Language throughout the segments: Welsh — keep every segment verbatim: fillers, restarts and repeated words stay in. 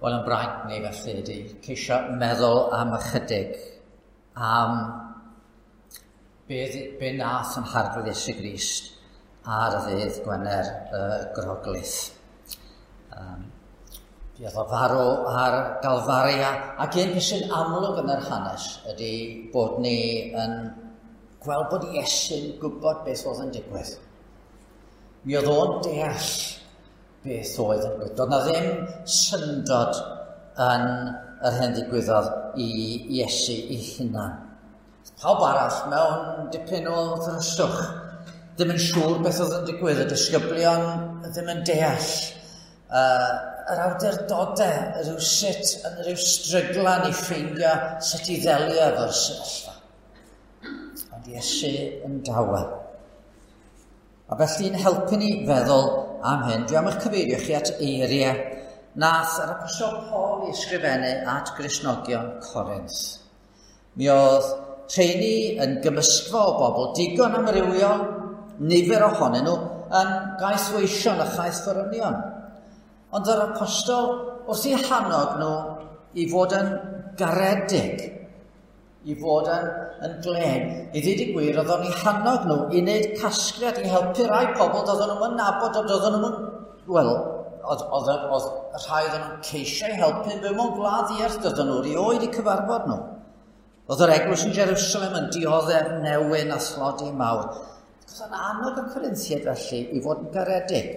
Wel, yn braint ni felly ydy ceisio meddwl am ychydig am be, be nath yn Harglwydd Iesu Grist ar y ddydd Gwener y Groglith. Um, Fuodd o farw ar Galfaria, ac un peth sy'n amlwg yn yr hanes ydy bod ni yn gweld bod Iesu'n gwybod beth oedd yn digwydd. Mi oedd o'n deall beth oedd yn digwydd. Doedd na ddim syndod yn yr hyn ddigwyddodd i Iesu ei hunan. Pawb arall mewn dipyn o ddryswch, ddim yn siŵr beth oedd yn digwydd, y disgyblion ddim yn deall. Uh, yr awdurdodau rhyw sut yn rhyw stryglan i ffeindio sut i ddelio efo'r sefyllfa. Ond Iesu yn dawel. A felly'n helpu ni feddwl am hyn, dwi am eich cyfeirio chi at eiriau nath yr Apostol Paul i ysgrifennu at Gristnogion Corinth. Mi oedd rheini yn gymysgfa o bobl digon amrywiol, nifer ohonyn nhw yn gaethweision a chaethforynion. Ond yr apostol wrth eu hannog nhw i fod yn garedig, i fod yn, yn glên. I ddweud y gwir, oedd o'n eu hannog nhw i wneud casgliad i helpu rai pobl doedden nhw'n nabod, ond doedden nhw'n... Wel, oedd, oedd, oedd rhai oedden nhw'n ceisio i helpu yn byw mewn gwlad ddiarth, doedden nhw erioed i cyfarfod nhw. Oedd yr eglwys yn Jerusalem yn dioddef newyn a thlodi mawr. Oedd o'n annog y Corinthiaid felly i fod yn garedig.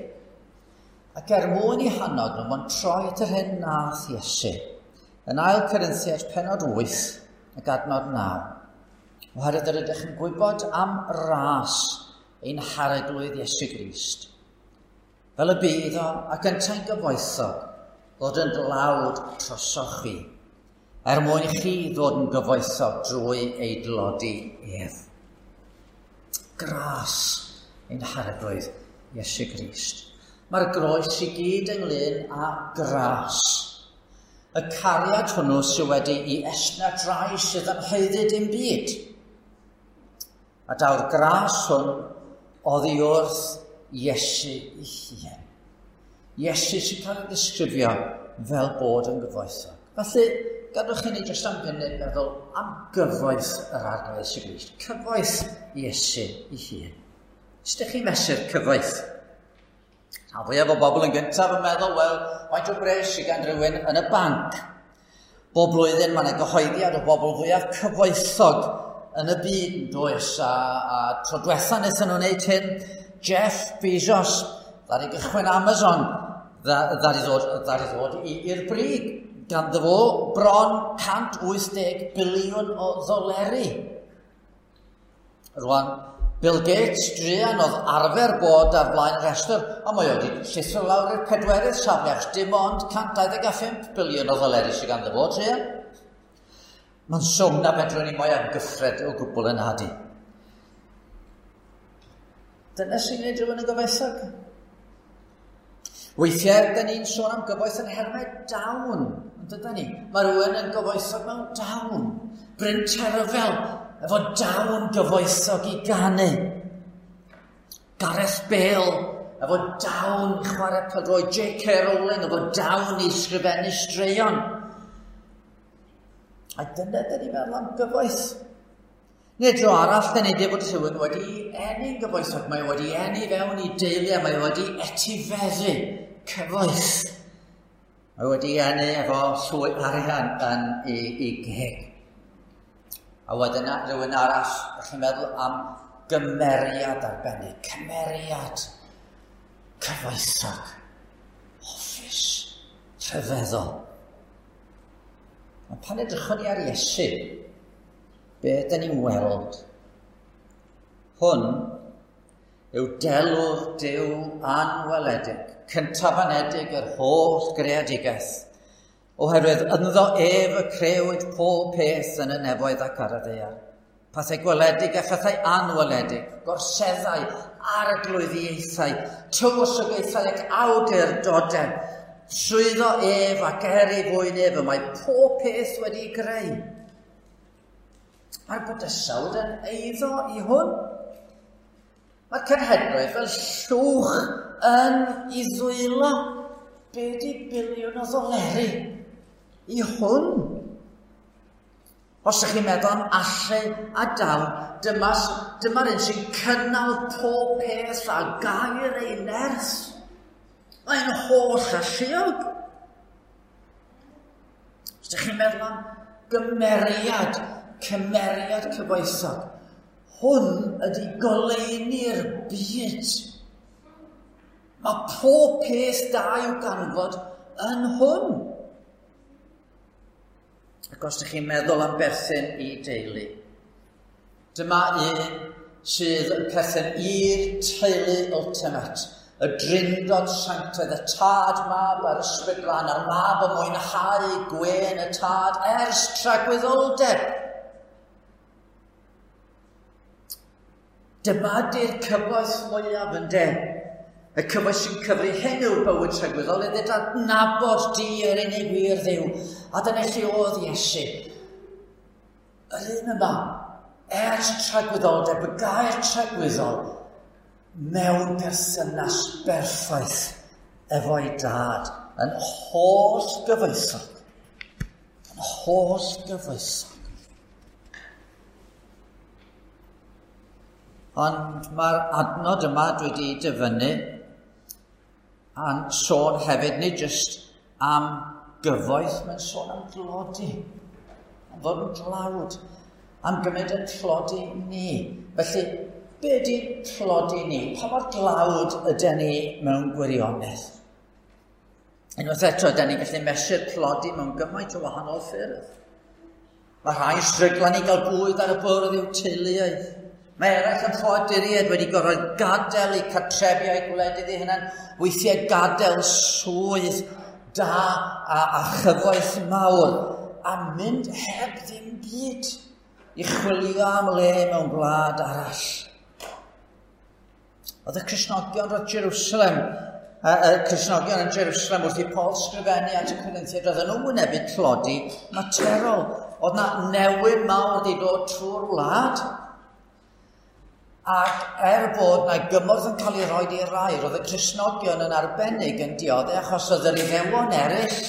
Ac er mwyn i hannog nhw, mae'n troi at yr hyn nath Iesu. Yn ail Corinthiaid pennod wyth, ac adnod naw. Oherwydd yr ydych yn gwybod am ras ein Harglwydd Iesu Grist. Fel y bu iddo ac yntau'n gyfoethog, ddod yn dlawd trosoch chi, er mwyn i chi ddod yn gyfoethog drwy ei dlodi ef. Gras ein Harglwydd Iesu Grist. Mae'r groes i gyd ynglyn â gras. Y cariad hwnnw sydd wedi i estyn at rai sydd yn haeddu dim byd. A daw'r gras hwn oddi wrth Iesu ei hun. Iesu sy'n cael ei ddisgrifio fel bod yn gyfoethog. Felly, gadwch i ni jyst am funud meddwl am gyfoeth yr Arglwydd Iesu Grist. Cyfoeth Iesu ei hun. Sut ydych chi'n mesur cyfoeth? A fwyaf o bobl yn gyntaf yn meddwl, wel, faint o bres sydd gan rhywun yn y banc? Bob blwyddyn mae yna gyhoeddiad o bobl fwyaf cyfoethog yn y byd, yn does? A, a tro diwetha wnaethon nhw wneud hyn, Jeff Bezos, ddaru gychwyn Amazon, ddaru ddod, ddaru ddod i'r brig. Ganddo fo bron cant wyth deg biliwn o ddoleri. Rwan, Bill Gates, druan, oedd arfer bod ar flaen y rhestr, ond mae wedi llithro lawr i'r pedwerydd safle, achos dim ond cant dau ddeg a phump biliwn o ddoleri sydd ganddo fo, druan. Mae'n swm na fedrwn ni mo'i amgyffred o gwbl yn adi. Dyna sy'n gwneud rhywun yn gyfoethog. Weithiau, da ni'n sôn am gyfoeth yn nhermau dawn, yn dydan ni? Mae rhywun yn gyfoethog mewn dawn. Bryn Terfel, efo dawn gyfoethog i ganu. Gareth Bale, efo dawn i chwarae pêl-droed. J K Rowling, efo dawn i sgrifennu straeon. A dyna dyn ni'n meddwl am gyfoeth. Neu dro arall, dyn ni'n dweud bod rhywun wedi eni'n gyfoethog. Mae wedi eni fewn i deulu a mae wedi etifeddu cyfoeth. Mae wedi eni efo llwy arian yn ei, ei geg. A wedyn rhywun arall, ydych chi'n meddwl am gymeriad arbennig. Cymeriad cyfoethog, hoffus, rhyfeddol. Ond pan edrychwn ni ar Iesu, be ydyn ni'n weld? Hwn yw delw'r Duw anweledig, cyntafanedig yr holl greadigaeth, oherwydd ynddo ef y crëwyd pob peth yn y nefoedd ac ar y ddaear. Pethau gweledig a phethau anweledig, gorseddau, arglwyddiaethau, tywysogaethau ac awdurdodau. Trwyddo ef ac er ei fwyn ef y mae pob peth wedi'i greu. Mae'r bydysawd yn eiddo i hwn. Mae'r cenhedloedd fel llwch yn ei ddwylo. Be di biliwn o ddoleri i hwn? Os ydych chi'n meddwl am allu a dawn, dyma, dyma'r un sy'n cynnal pob peth a gair ei nerth. Mae'n holl alluog. Os ydych chi'n meddwl am gymeriad, cymeriad cyfoethog, hwn ydy goleuni'r byd. Mae pob peth da i'w ganfod yn hwn. Ac os ydych chi'n meddwl am berthyn i deulu, dyma un sydd yn perthyn i'r teulu ultimate, y drindod sanctaidd, y tad mab a'r ysbryd glân, a'r mab yn mwynhau gwên y tad ers tragwyddoldeb. Dyma di'r cyfoeth mwyaf yn de. Y cyfoeth sy'n cyfri hyn yw'r bywyd tragwyddol, iddi adnabod di yr unig wir Dduw. A dyna lle oedd Iesu. Yr un yma, ers tragwyddoldeb, y gair tragwyddol, mewn perthynas berffaith efo'i dad, yn holl gyfoethog. Yn holl gyfoethog. Ond mae'r adnod yma dwi wedi dyfynnu a'n sôn hefyd, nid jyst am gyfoeth, mae'n sôn am dlodi, am fod yn dlawd, am gymryd yn tlodi ni. Felly, be ydy tlodi ni? Pa mor dlawd ydyn ni mewn gwirionedd? Unwaith eto, ydyn ni'n gallu mesur tlodi mewn gymaint o wahanol ffyrdd. Mae rhai stryglan i gael bwyd ar y bwrdd i'w teuluoedd. Mae eraill yn ffoaduriaid wedi gorfod gadael eu cartrefi a'u gwledydd eu hunain, weithiau gadael swydd da a, a chyfoeth mawr, a mynd heb ddim byd i chwilio am le mewn gwlad arall. Oedd y Cristnogion o Jerusalem, y, y Cristnogion yn Jerusalem wrth i Paul sgrifennu at y Corinthiaid, oedden nhw'n wynebu tlodi materol. Oedd na newyn mawr wedi dod trwy'r wlad. Ac er bod na gymorth yn cael ei roi i rai, roedd y Cristnogion yn arbennig yn dioddef achos oedd yr Iddewon eraill,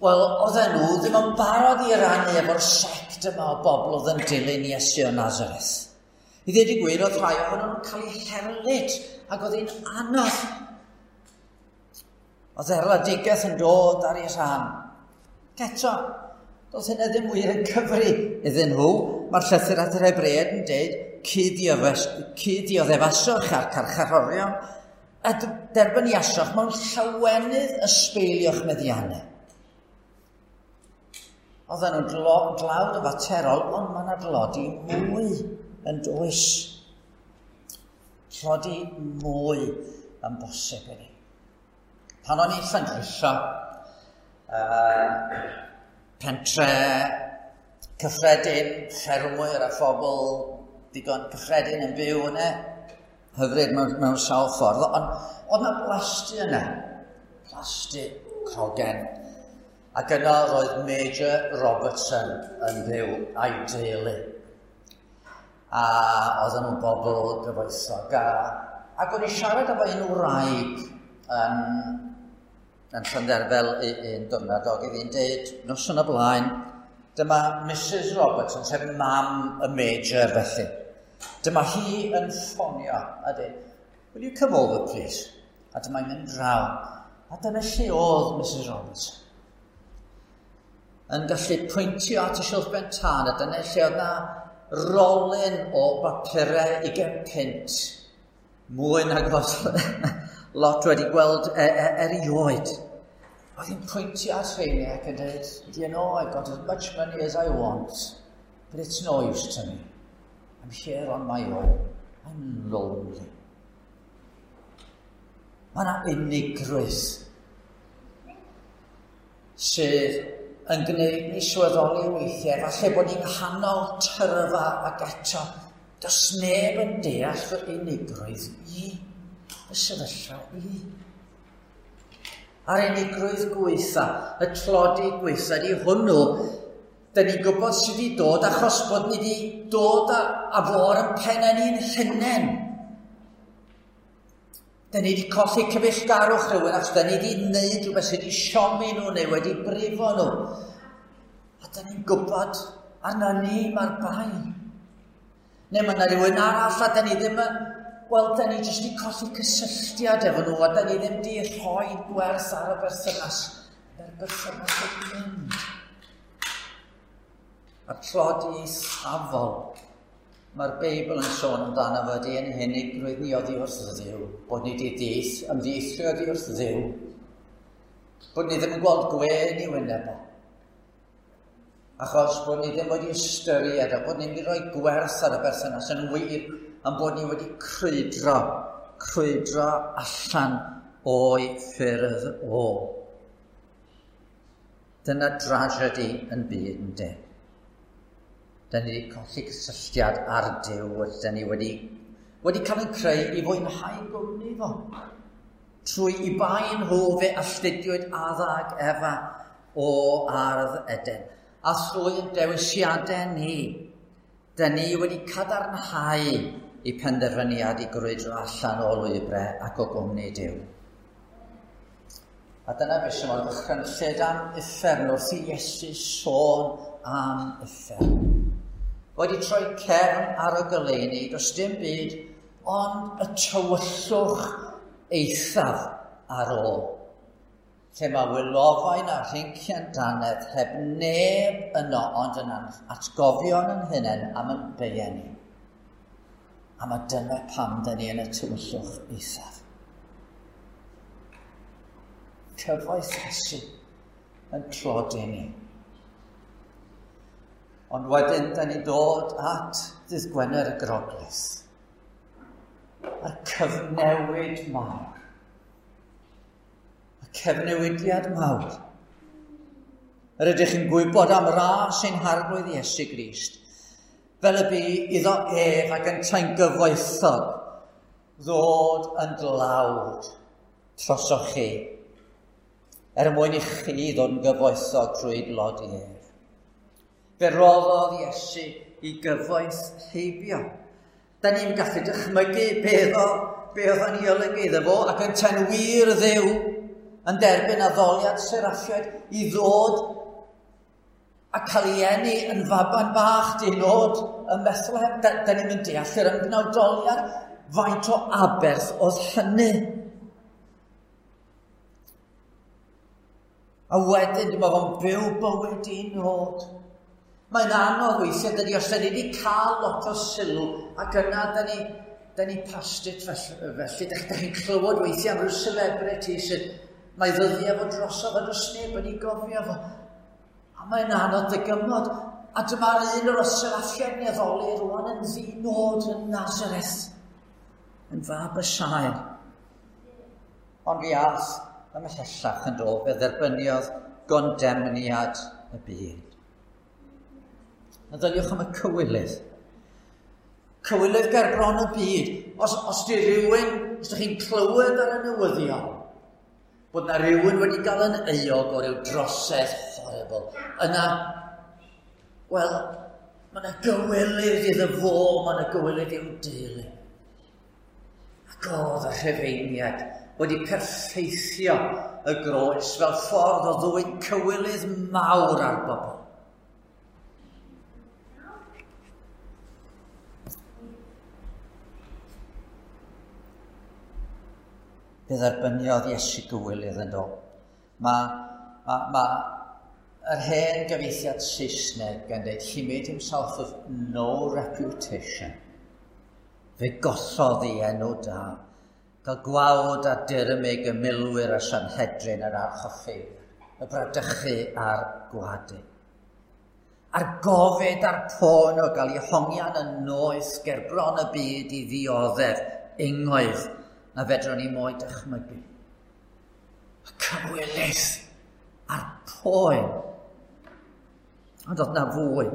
wel, oedden nhw ddim yn barod i rannu efo'r sect yma o bobl oedd yn dilyn Iesu o Nazareth. I ddweud y gwir, oedd rhai ohonyn nhw'n cael eu herlid ac oedd hi'n anodd. Oedd erledigaeth yn dod ar ei rhan. Ac eto, doedd hynna ddim wir yn cyfri iddyn nhw. Mae'r llythyr at yr Hebreaid yn dweud, cyd-dioddefaswch a'r carcharorion, a derbyniaswch mewn llawenydd ysbeilio'ch meddiannau. Oedden nhw'n dlawd yn faterol, ond mae yna dlodi mwy yn does. Tlodi mwy yn bosib i ni. Pan o'n i'n Llandrillo, uh, pentre cyffredin, ffermwyr a phobl digon cyffredin yn byw yna, hyfryd mewn, mewn sawl ffordd, ond oedd yna blasty yna, plasty crogen. Ac yno roedd Major Robertson yn byw a'i deulu. A oedden nhw'n bobl gyfoethog. A, ac o'n i siarad efo un wraig yn, yn Llandderfel un diwrnod, ac oedd hi'n deud noson o blaen, dyma Missus Robertson, sef mam y Major felly. Dyma hi yn ffonio a dweud, "Will you come over please?" A dyma hi'n mynd draw. A dyna lle oedd Missus Robertson. Yn gallu pwyntio at y silff ben tân, a dyna lle oedd na rolyn o bapurau ugain punt. Mwy nag oedd lot wedi gweld e, e, erioed. Oedd hi'n pwyntio at rheini ac yn dweud, "Do you know, I've got as much money as I want, but it's no use to me. I'm here on my own. I'm lonely." Mae yna unigrwydd sydd yn gwneud ni sylweddoli weithiau, falle bod ni'n nghanol tyrfa ac eto, does neb yn deall fy unigrwydd i, fy sefyllfa i. A'r unigrwydd gweitha, y tlodi gweitha, di hwnnw, dyn ni'n gwybod sydd wedi dod achos bod ni wedi dod â, â fo ar ein pennau ni'n hunain. Da ni wedi colli cyfeillgarwch rhywun achos da ni wedi wneud rhywbeth sydd wedi siomi nhw neu wedi brifo nhw. A da ni'n gwybod arna ni mae'r bai. Neu mae yna rhywun arall a da ni ddim yn... Wel, da ni jyst wedi colli cysylltiad efo nhw a da ni ddim wedi rhoi gwerth ar y berthynas. Mae'r berthynas wedi mynd. A'r tlodi eithafol mae'r Beibl yn sôn amdano fo ydy ein hunigrwydd ni oddi wrth Dduw, bod ni wedi dith, ymddieithrio oddi wrth Dduw, bod ni ddim yn gweld gwên i wyneb o. Achos bod ni ddim wedi ystyried a bod ni wedi rhoi gwerth ar y berthynas yn wir am bod ni wedi crwydro, crwydro allan o'i ffyrdd o. Dyna drasiedi yn byd, yndê. Da ni wedi colli cysylltiad ar Duw, da ni wedi, wedi cael ein creu i fwynhau gwmni fo. Trwy i bai nhw fe alltudiwyd Adda ac Efa o ardd Eden. A thrwy ein dewisiadau ni, da ni wedi cadarnhau i penderfyniad i grwydro allan o lwybrau ac o gwmni Duw. A dyna beth sy'n mor ddychrynllyd am uffern wrth i Iesu sôn am uffern. Wedi troi cefn ar y goleuni, does dim byd ond y tywyllwch eithaf ar ôl. Lle mae wylofain a rhincian dannedd heb neb yno ond yn atgofion yn hunain am yn beiau ni. A mae dyna pam dyn ni yn y tywyllwch eithaf. Cyfoeth Iesu yn tlodi ni. Ond wedyn, da ni'n dod at ddydd Gwener y Groglith. A'r cyfnewid mawr. Y cyfnewidiad mawr. Yr ydych chi'n gwybod am ras ein harglwydd Iesu Grist. Fel y bu iddo ef ac yntau'n gyfoethog ddod yn dlawd trosoch chi. Er mwyn i chi ddod yn gyfoethog trwy dlodi ef. Fe roddodd Iesu i gyfoeth heibio. Da ni'n gallu dychmygu beth o, be oedd yn ei olygu iddo fo ac yntau'n wir Dduw yn derbyn addoliad seraffiaid i ddod a cael ei eni yn faban bach dinod ym Methlehem. Da, da ni'n mynd deall yr ymgnawdoliad faint o aberth oedd hynny. A wedyn dyma fo'n byw bywyd dinod. Mae'n anodd weithiau, dydy, os da ni wedi cael lot o sylw, ac yna da ni, da ni past it felly, felly da, da chi'n clywed weithiau am ryw celebrity sydd mae ddyddiau fo drosodd a does neb yn ei gofio fo. A mae'n anodd dygymod. A dyma'r un o'r seraffiaid ni addoli rwan yn ddinod yn Nazareth, yn fab y saer. Ond fi ath ymhellach yn dod, fe dderbyniodd gondemniad y byd. Meddyliwch am y cywilydd. Cywilydd ger bron y byd. Os, os di rhywun, os ydych chi'n clywed ar y newyddion, bod na rhywun wedi gael yn euog o ryw drosedd horrible, yna, wel, mae yna gywilydd iddo fo, mae yna gywilydd i'w deulu. Ac oedd y Rhufeiniaid wedi perffeithio y groes fel ffordd o ddwyn cywilydd mawr ar bobl. Fe dderbyniodd Iesu gywilydd yn do. Mae ma, ma yr hen gyfieithiad Saesneg yn dweud, he made himself of no reputation. Fe gollodd ei enw da, gael gwawd a dirmyg y milwyr a Sanhedrin yr archoffewyr, y bradychu a'r gwadu. A'r gofid a'r poen o gael ei hongian yn noeth ger bron y byd i ddioddef ungoedd na fedrwn ni mo'i dychmygu. Y cywilydd a'r poen. Ond oedd na fwy.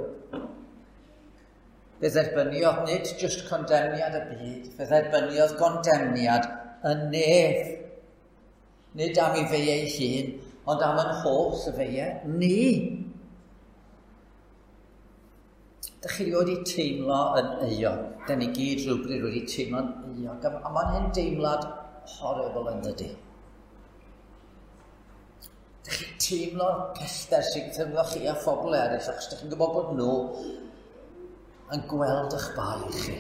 Fe dderbyniodd nid jyst condemniad y byd, fe dderbyniodd gondemniad y nef. Nid am ei fei ei hun, ond am yn holl y feiau ni. Dych chi wedi teimlo yn euog. Da ni gyd rhywbryd wedi teimlo'n euog. A mae'n hyn deimlad horrible yn dydy. Dych chi'n teimlo'r pellter sy'n teimlo chi a phobl eraill, achos dych chi'n gwybod bod nhw yn gweld eich bai chi.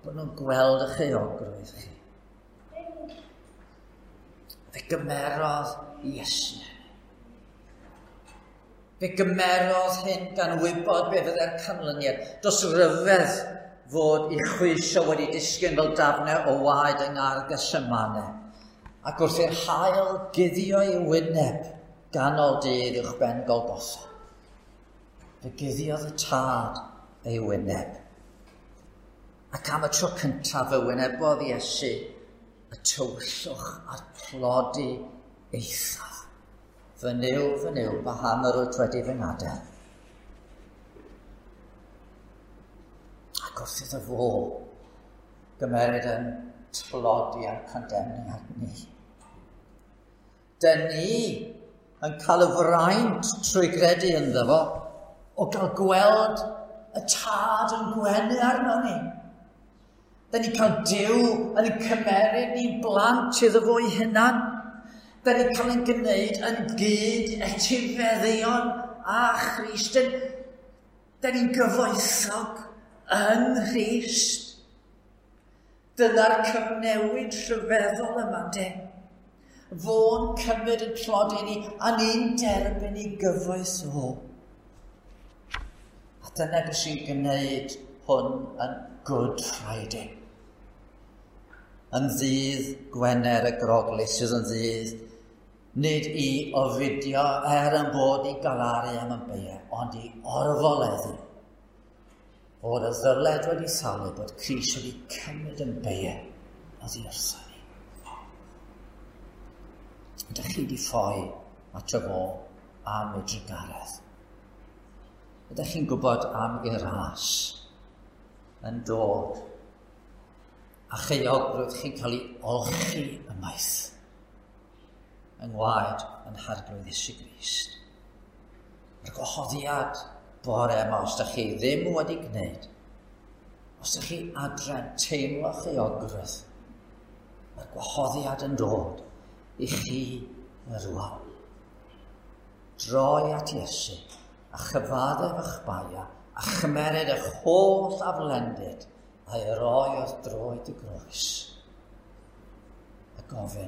Bod nhw'n gweld eich euogrwydd chi. Fe gymerodd Iesu. Fe gymerodd hyn gan wybod be fydde'r canlyniad. Does ryfedd fod ei chwysau wedi disgyn fel dafnau o waed yng Ngardd Gethsemane. Ac wrth i'r haul guddio ei wyneb ganol dydd uwch ben Golgotha, fe guddiodd y Tad ei wyneb. Ac am y tro cyntaf fe wynebodd Iesu y tywyllwch a'r tlodi eithaf. Fy Nuw, fy Nuw, paham yr wyt wedi fy ngadael? Ac wrth iddo fo gymeryd yn tlodi a'n condemniad ni. Dyn ni yn cael y fraint trwy gredu ynddo fo o gael gweld y Tad yn gwenu arno ni. Dyn ni'n cael Duw yn cymeryd ni'n blant iddo fo ei hunan. Dyn ni'n cael ein gwneud yn gyd etifeddion â Christ. Dyn ni'n gyfoethog yng Nghrist. Dyna'r cyfnewid rhyfeddol yma, de. Fo'n cymryd yn tlodi ni, a ni'n derbyn ei gyfoeth o. A dyna beth sy'n gwneud hwn yn Good Friday. Yn ddydd Gwener y Groglith sydd yn ddydd, nid i ofidio er yn bod i galaru am yn beiau, ond i orfoleddu. Fod y ddyled wedi thalu bod Crist wedi cymryd yn beiau oddi wrtho ni. Ydych chi wedi ffoi ato fo am ei drugaredd? Ydych chi'n gwybod am ei ras yn dod a cheuogrwydd chi'n cael ei olchi ymaith yng ngwaed yn Harglwydd Iesu Grist? Mae'r gwahoddiad bore yma, os ydych chi ddim wedi gwneud, os ydych chi adre'n teimlo cheuogrwydd, mae'r gwahoddiad yn dod i chi rwan. Droi at Iesu a chyfaddef eich baia a chymeryd eich holl aflendid a'i roi wrth droed y groes a gofyn,